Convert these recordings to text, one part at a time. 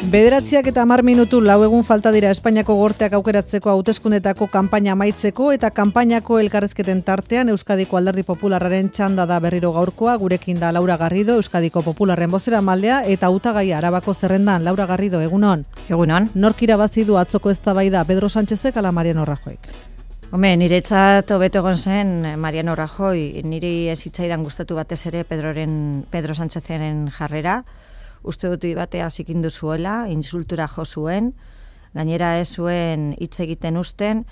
Bederatziak eta 10 minutu lau egun falta dira Espainiako gorteak aukeratzeko hauteskundetako kanpaina amaitzeko eta kanpainako elkarrezketen tartean Euskadiko Alderdi Popularraren txanda da berriro gaurkoa. Gurekin da Laura Garrido, Euskadiko Popularren bozeramailea eta hautagaia Arabako zerrendan. Laura Garrido, egunon. Egunon. Nork irabazi du atzoko eztabaida, Pedro Sánchezek ala Mariano Rajoyk? Niretzat hobeto egon zen Mariano Rajoy, niri ez hitzaidan gustatu batez ere Pedro Sánchezaren jarrera. Uste dut batea zikindu zuela, insultura jo zuen, gainera ez zuen hitz egiten uzten,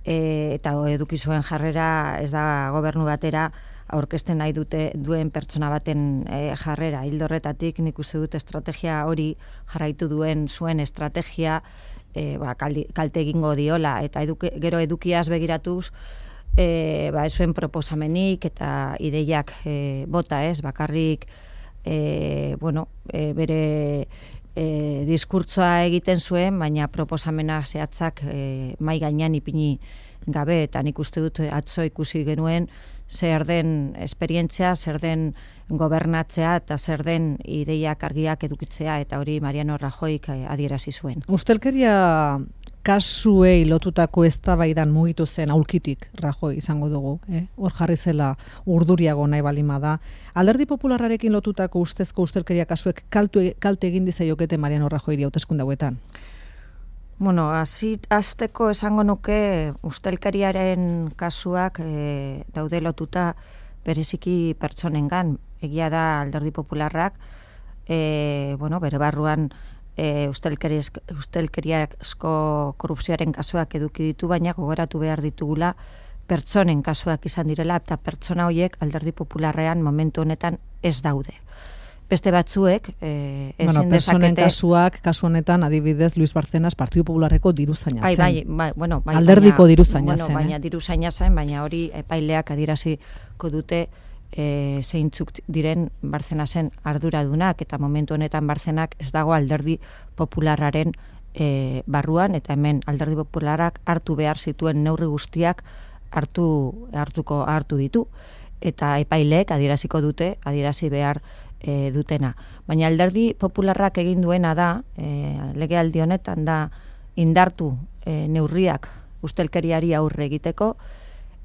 eta eduki zuen jarrera ez da gobernu batera aurkezten nahi duen pertsona baten jarrera. Ildo horretatik nik uste dut estrategia hori jarraitu zuen estrategia kalte egingo diola, eta gero edukiaz begiratuz, ez zuen proposamenik eta ideiak bota ez, bakarrik bere diskurtsoa egiten zuen, baina proposamena zehatzak mai gainean ipini gabe, eta nik uste dut atzo ikusi genuen zer den esperientzia, zer den gobernatzea eta zer den ideiak argiak edukitzea, eta hori Mariano Rajoyk adierazi zuen. Ustelkeria kasuei lotutako eztabaidan mugitu zen aulkitik Rajoy izango dugu, hor jarri zela urduriago nahi balima da. Alderdi Popularrarekin lotutako ustezko ustelkeria kasuek kalte egin dizaiokete Mariano Rajoyri hauteskunde hauetan? Hasteko esango nuke ustelkeriaren kasuak daude lotuta bereziki pertsonengan. Egia da Alderdi Popularrak bere barruan ustelkeriazko korrupzioaren kasuak eduki ditu, baina gogoratu behar ditugula pertsonen kasuak izan direla, eta pertsona horiek Alderdi Popularrean momentu honetan ez daude. Beste batzuek ezin pertsonen kasuak, kasu honetan adibidez Luis Barcenas Partidu Popularreko diruzaina zen. Alderdiko diruzaina zen. Baina diruzaina zen, baina hori epaileak adieraziko dute zeintzuk diren Barcenasen arduradunak, eta momentu honetan Barcenak ez dago Alderdi Popularraren barruan, eta hemen Alderdi Popularrak hartu behar zituen neurri guztiak hartu ditu, eta epaileek adieraziko dute, adierazi behar dutena. Baina Alderdi Popularrak egin duena da, legealdi honetan da, indartu neurriak ustelkeriari aurre egiteko,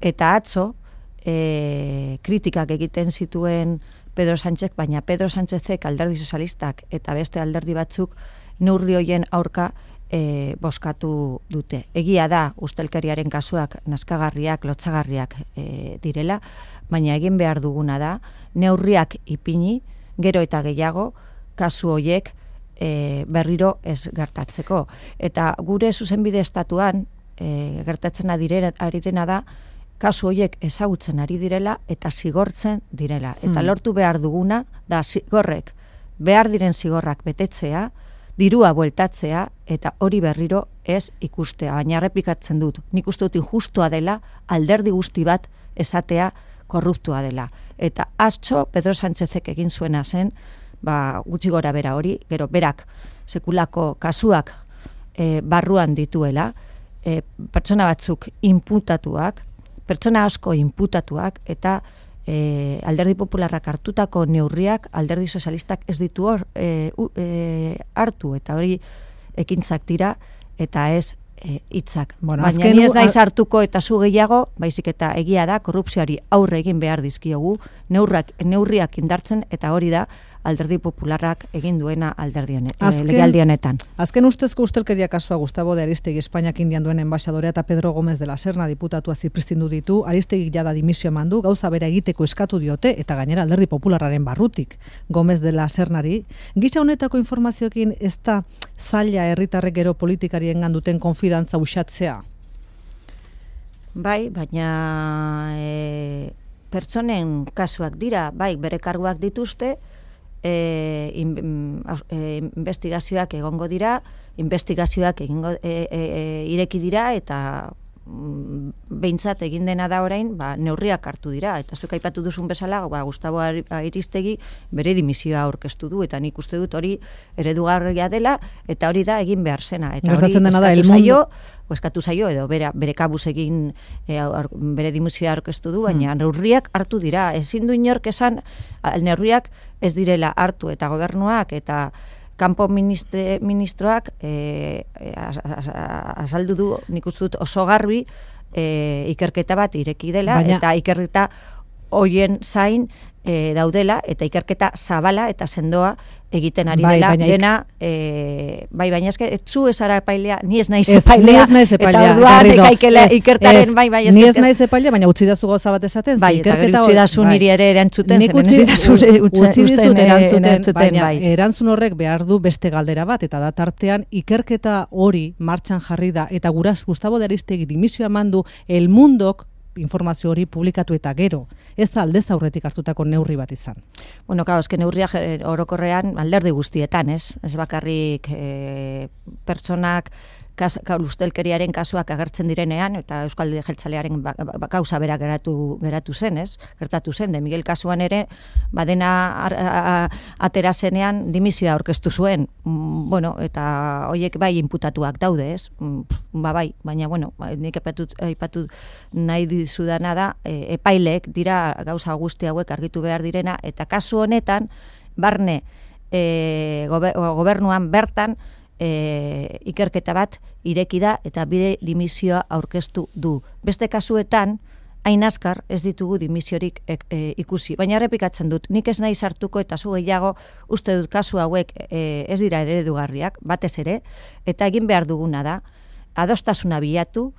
eta atzo kritikak egiten zituen Pedro Sánchez, baina Pedro Sánchezek Alderdi Sozialistak eta beste alderdi batzuk neurri hoien aurka bozkatu dute. Egia da ustelkeriaren kasuak nazkagarriak, lotsagarriak direla, baina egin behar duguna da neurriak ipini, gero eta gehiago kasu hoiek berriro ez gertatzeko. Eta gure zuzenbide estatuan gertatzen ari dena da kasu horiek ezagutzen ari direla eta zigortzen direla. Eta lortu behar duguna da zigorrek, behar diren zigorrak betetzea, dirua bueltatzea, eta hori berriro ez ikustea. Baina errepikatzen dut, nik uste dut injustua dela, alderdi guzti bat esatea korruptua dela. Eta atzo Pedro Sánchezek egin zuena zen, gutxi gora bera hori, gero berak sekulako kasuak barruan dituela, pertsona batzuk inputatuak, pertsona asko inputatuak, eta Alderdi Popularrak hartutako neurriak Alderdi Sozialistak ez ditu hartu, eta hori ekintzak dira, eta ez hitzak. Baina ni ez naiz hartuko eta zu gehiago, baizik eta egia da, korrupzioari aurre egin behar dizkiogu, neurriak indartzen, eta hori da Alderdi Popularrak egin duena legealdi honetan. Azken ustezko ustelkeria kasua Gustavo de Ariztegui Espainiak Indian duen enbaxadorea eta Pedro Gómez de la Serna diputatua zipristindu ditu. Ariztegui jada dimisio eman du, gauza bera egiteko eskatu diote, eta gainera Alderdi Popularraren barrutik Gómez de la Sernari. Gisa honetako informazioekin ez da zaila herritarrek gero politikariengan duten konfidantza uxatzea? Bai, baina pertsonen kasuak dira, bai, bere karguak dituzte, investigazioak egongo dira, investigazioak ireki dira, eta behintzat egin dena da orain, neurriak hartu dira, eta zuk aipatu duzun bezala, Gustavo Ariztegui bere dimisioa aurkeztu du, eta nik uste dut hori eredugarria dela, eta hori da egin behar zena, eta hori eskatu zaio, edo bere kabuz egin bere dimisioa aurkeztu du, baina neurriak hartu dira, ezin du inork esan neurriak ez direla hartu, eta gobernuak eta kanpo ministroak azaldu du, nik uste dut oso garbi, ikerketa bat ireki dela, eta ikerketa hoien zain daudela, eta ikerketa zabala eta sendoa egiten ari dela, dena, baina eske, etzu esara epailea, ni ez naiz epailea, eta orduan ekaikela ikertaren, baina eske. Ni ez naiz epailea, baina utzi dazu gauza bat esaten, bai, eta gero utzi dazu niri ere erantzuten, utzi dizut erantzuten, baina erantzun horrek behar du beste galdera bat, eta da tartean ikerketa hori martxan jarri da, eta Gustavo de Ariztegui dimisioa eman du El Mundok informazio hori publikatu eta gero. Ez da aldez aurretik hartutako neurri bat izan. Bueno, claro, eske neurria orokorrean alderdi guztietan, ez? Ez bakarrik pertsonak ustelkeriaren kasuak agertzen direnean, eta Euskalde Jeltzalearen gauza bera geratu zen, ez? Gertatu zen, de Miguel kasuan ere, badena atera zenean dimisioa aurkeztu zuen, bueno, eta hoiek bai inputatuak daude, ez? Bai, baina, bueno, nik aipatu nahi dizudana da, epaileek dira gauza guzti hauek argitu behar direna, eta kasu honetan, barne gobernuan bertan, ikerketa bat ireki da eta bide dimisioa aurkeztu du. Beste kasuetan, hain azkar ez ditugu dimisiorik ikusi. Baina errepikatzen dut, nik ez nahi sartuko eta zu gehiago uste dut kasu hauek ez dira eredugarriak, batez ere, eta egin behar duguna da, adostasuna bilatu,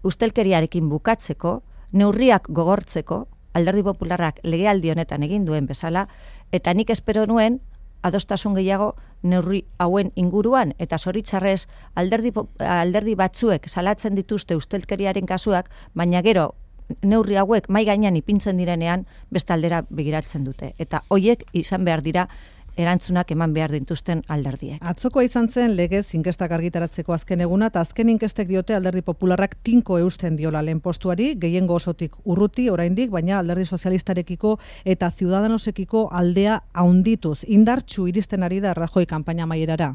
ustelkeriarekin bukatzeko, neurriak gogortzeko, Alderdi Popularrak legealdi honetan egin duen bezala, eta nik espero nuen, adostasun gehiago neurri hauen inguruan, eta zoritxarrez alderdi batzuek salatzen dituzte ustelkeriaren kasuak, baina gero neurri hauek mai gainean ipintzen direnean beste aldera begiratzen dute. Eta hoiek izan behar dira erantzunak eman behar dituzten alderdiek. Atzokoa izan zen legez inkestak argitaratzeko azken eguna, eta azken inkestek diote Alderdi Popularrak tinko eusten diola lehen postuari, gehiengo osotik urruti oraindik, baina Alderdi Sozialistarekiko eta Ciudadanosekiko aldea haundituz. Indartsu iristen ari da Rajoy kanpaina amaierara.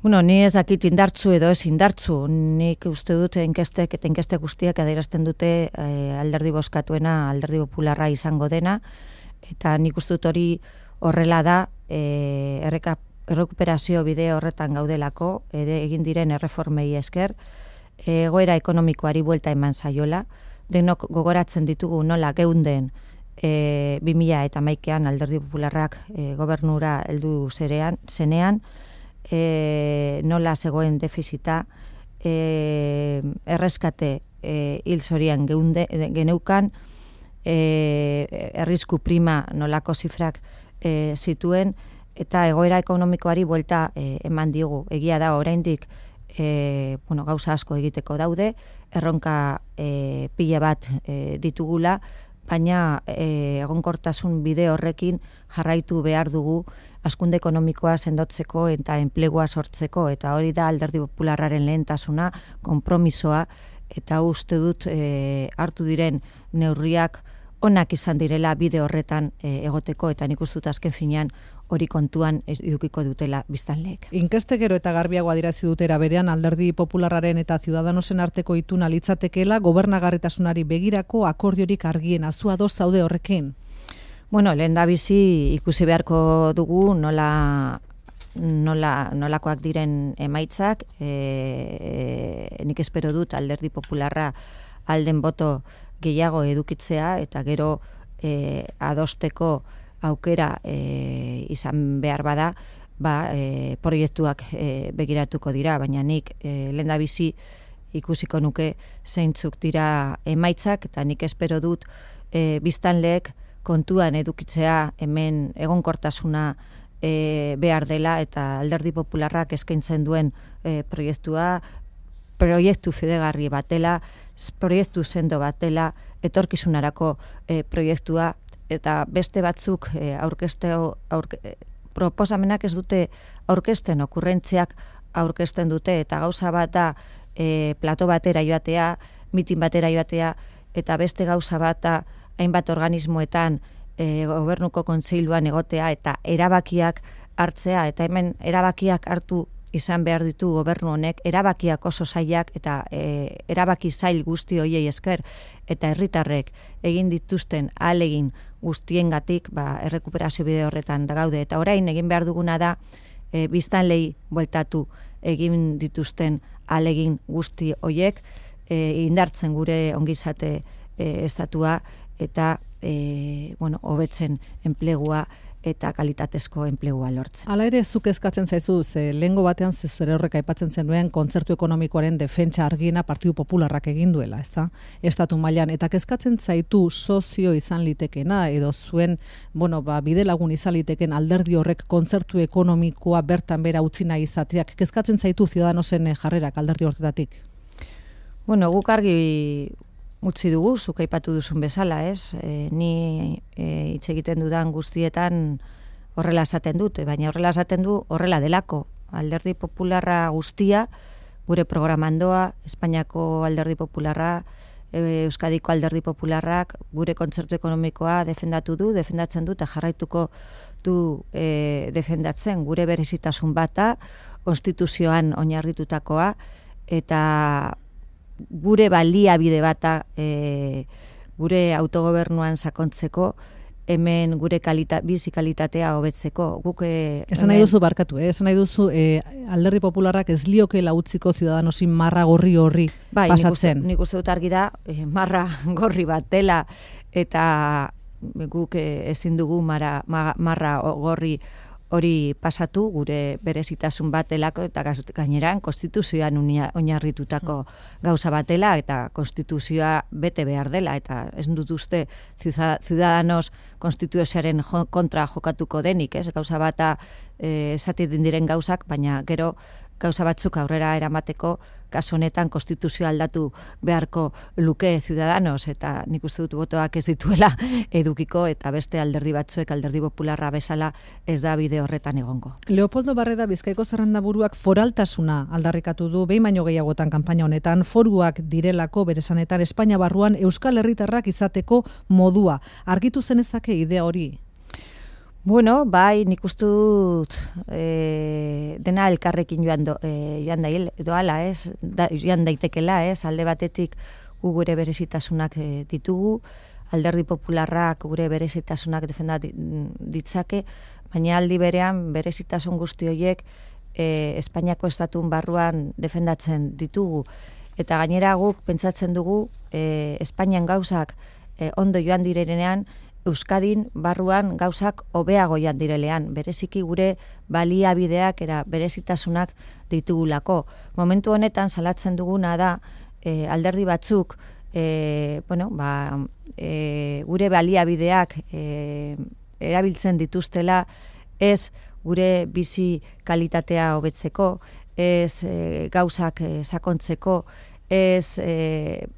Bueno, ni ez dakit indartsu edo ez indartsu, nik uste dut inkestek eta inkeste guztiak adierazten dute alderdi bozkatuena, Alderdi Popularra izango dena, eta nik uste dut hori horrela da, errekuperazio bide horretan gaudelako, egin diren erreformei esker, egoera ekonomikoari buelta eman zaiola, denok gogoratzen ditugu nola geunden 2011an Alderdi Popularrak gobernura heldu zenean, nola zegoen defizita, erreskate hil zorian geneukan, errisku prima nolako zifrak zituen, eta egoera ekonomikoari buelta eman digu. Egia da oraindik gauza asko egiteko daude, erronka pila bat ditugula, baina egonkortasun bide horrekin jarraitu behar dugu hazkunde ekonomikoa sendotzeko eta enplegua sortzeko, eta hori da Alderdi Popularraren lehentasuna, konpromisoa, eta uste dut hartu diren neurriak onak izan direla bide horretan egoteko, eta nik uste dut azken finean hori kontuan edukiko dutela biztanleek. Inkestek gero eta garbiago adierazi dutera berean Alderdi Popularraren eta Ciudadanosen arteko ituna litzatekeela gobernagarritasunari begirako akordiorik argiena. Zu ados zaude horrekin? Bueno, lehendabizi ikusi beharko dugu nolakoak diren emaitzak, nik espero dut Alderdi Popularra alden boto gehiago edukitzea, eta gero adosteko aukera izan behar bada, proiektuak begiratuko dira, baina nik lehendabizi ikusiko nuke zeintzuk dira emaitzak, eta nik espero dut biztanleek kontuan edukitzea hemen egonkortasuna behar dela, eta Alderdi Popularrak eskaintzen duen proiektu fidegarri batela, proiektu sendo batela, etorkizunarako proiektua, eta beste batzuk proposamenak ez dute aurkezten, okurrentziak aurkezten dute, eta gauza bat da plato batera joatea, mitin batera joatea, eta beste gauza bat da hainbat organismoetan gobernuko kontseiluan egotea eta erabakiak hartzea, eta hemen erabakiak hartu izan behar ditu gobernu honek, erabakiak oso zailak eta erabaki zail guzti hoiei esker eta herritarrek egin dituzten ahalegin guztiengatik errekuperazio bide horretan gaude. Eta orain egin behar duguna da biztanlei bueltatu egin dituzten ahalegin guzti hoiek indartzen gure ongizate estatua eta hobetzen enplegua eta kalitatezko enplegua lortzen. Hala ere, zuk eskatzen zaizu, lehengo batean zure horrek aipatzen zenuen kontzertu ekonomikoaren defentsa argiena Partidu Popularrak egin duela, ezta? Estatu mailan, eta kezkatzen zaitu sozio izan litekena, edo zuen, bide lagun izan liteken alderdi horrek kontzertu ekonomikoa bertan bera utzi nahi izateak, kezkatzen zaitu Ciudadanosen jarrerak alderdi horretatik? Guk argi utzi dugu, zuk aipatu duzun bezala, ez? Ni hitz egiten dudan guztietan horrela esaten dut, baina horrela esaten du horrela delako. Alderdi Popularra guztia, gure programandoa, Espainiako Alderdi Popularra, Euskadiko Alderdi Popularrak, gure kontzertu ekonomikoa defendatzen du eta jarraituko du defendatzen gure berezitasun bata, konstituzioan oinarritutakoa, eta gure baliabide bata gure autogobernuan sakontzeko, hemen gure bizi kalitatea hobetzeko. Esan nahi duzu barkatu, esan nahi duzu Alderdi Popularrak ez liokeela utziko Ciudadanosin marra gorri pasatzen. Nik uste dut argi da, marra gorri bat dela, eta guk ezin dugu marra gorri hori pasatu, gure berezitasun bat delako, eta gaineran konstituzioan oinarritutako gauza batela, eta konstituzioa bete behar dela, eta ez dut uste Ciudadanos konstituzioaren kontra jokatuko denik, ez? Gauza bata esaten diren gauzak, baina gero gauza batzuk aurrera eramateko, kasu honetan konstituzioa aldatu beharko luke Ciudadanos, eta nik uste dut botoak ez dituela edukiko, eta beste alderdi batzuek, Alderdi Popularra bezala, ez da bide horretan egongo. Leopoldo Barreda Bizkaiko zerrendaburuak foraltasuna aldarrikatu du, behin baino gehiagotan kanpaina honetan, foruak direlako bere esanetan Espainia barruan Euskal Herritarrak izateko modua. Argitu zenezake idea hori? Bai, nik uste dut dena elkarrekin joan daitekela, alde batetik gure berezitasunak ditugu, Alderdi Popularrak gure berezitasunak defendat ditzake, baina aldi berean berezitasun guzti horiek Espainiako estatun barruan defendatzen ditugu. Eta gainera guk pentsatzen dugu Espainian gauzak ondo joan direnean, Euskadin barruan gauzak hobeago joan direlean, bereziki gure baliabideak berezitasunak ditugulako. Momentu honetan salatzen duguna da alderdi batzuk gure baliabideak erabiltzen dituztela, ez gure bizi kalitatea hobetzeko, ez gauzak sakontzeko, ez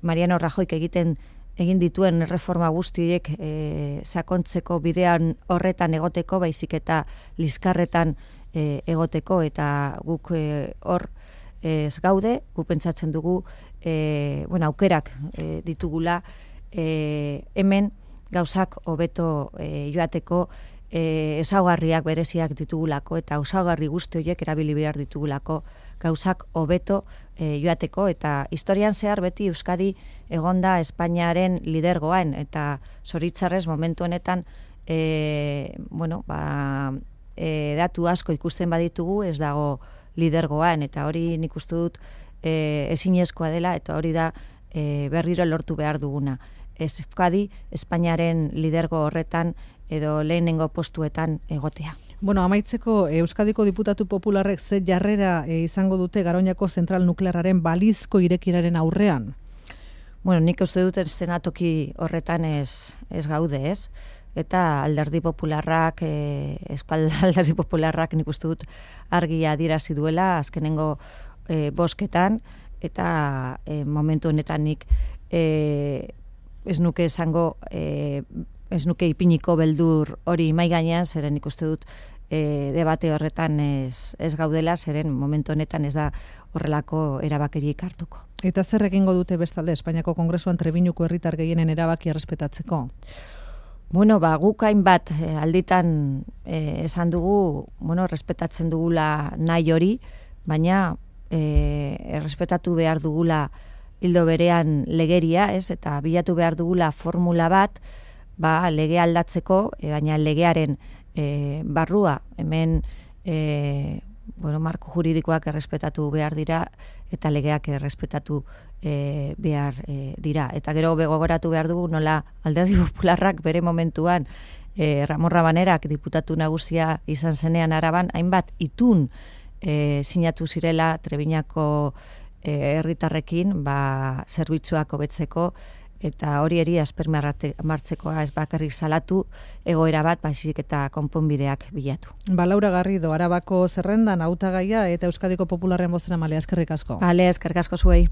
Mariano Rajoyk egin dituen reforma guztiek sakontzeko bidean horretan egoteko, baizik eta liskarretan egoteko, eta guk hor ez gaude, guk pentsatzen dugu aukerak ditugula hemen gauzak hobeto joateko, ezaugarriak bereziak ditugulako, eta ezaugarri guzti horiek erabili behar ditugulako gauzak hobeto joateko, eta historian zehar beti Euskadi egonda Espainiaren lidergoan, eta zoritzarrez momentu honetan datu asko ikusten baditugu ez dago lidergoan, eta hori nik uste dut ezinezkoa dela, eta hori da berriro lortu behar duguna. Euskadi Espainiaren lidergo horretan edo lehenengo postuetan egotea. Amaitzeko, Euskadiko Diputatu Popularrek ze jarrera izango dute Garoñako zentral nuklearraren balizko irekiraren aurrean? Nik uste dut eszenatoki horretan ez gaude, ez? Eta Alderdi Popularrak, Euskal Alderdi Popularrak nik uste dut argi adierazi duela azkenengo bozketan, eta momentu honetan nik ez nuke esango ez nuke ipiniko beldur hori mai gainean, zeren ikuste dut debate horretan ez gaudela, zeren momentu honetan ez da horrelako erabakirik hartuko. Eta zer egingo dute bestalde Espainiako Kongresuan Trebiñuko herritar gehienen erabakia errespetatzeko? Guk hainbat alditan esan dugu, respetatzen dugula nahi hori, baina errespetatu behar dugula hildo berean legeria, ez? Eta bilatu behar dugula formula bat, lege aldatzeko, baina legearen barrua, hemen marko juridikoak errespetatu behar dira, eta legeak errespetatu behar dira. Eta gero begogoratu behar dugu nola Alderdi Popularrak bere momentuan Ramon Rabanerak diputatu nagusia izan zenean Araban, hainbat itun sinatu zirela Trebiñako herritarrekin zerbitzuak hobetzeko, eta hori eri aspermartzekoa ez bakarrik salatu egoera bat, baizik eta konponbideak bilatu. Laura Garrido, Arabako zerrendan hautagaia eta Euskadiko Popularren bozeramaileak, eskerrik asko. Eskerrik asko zuei.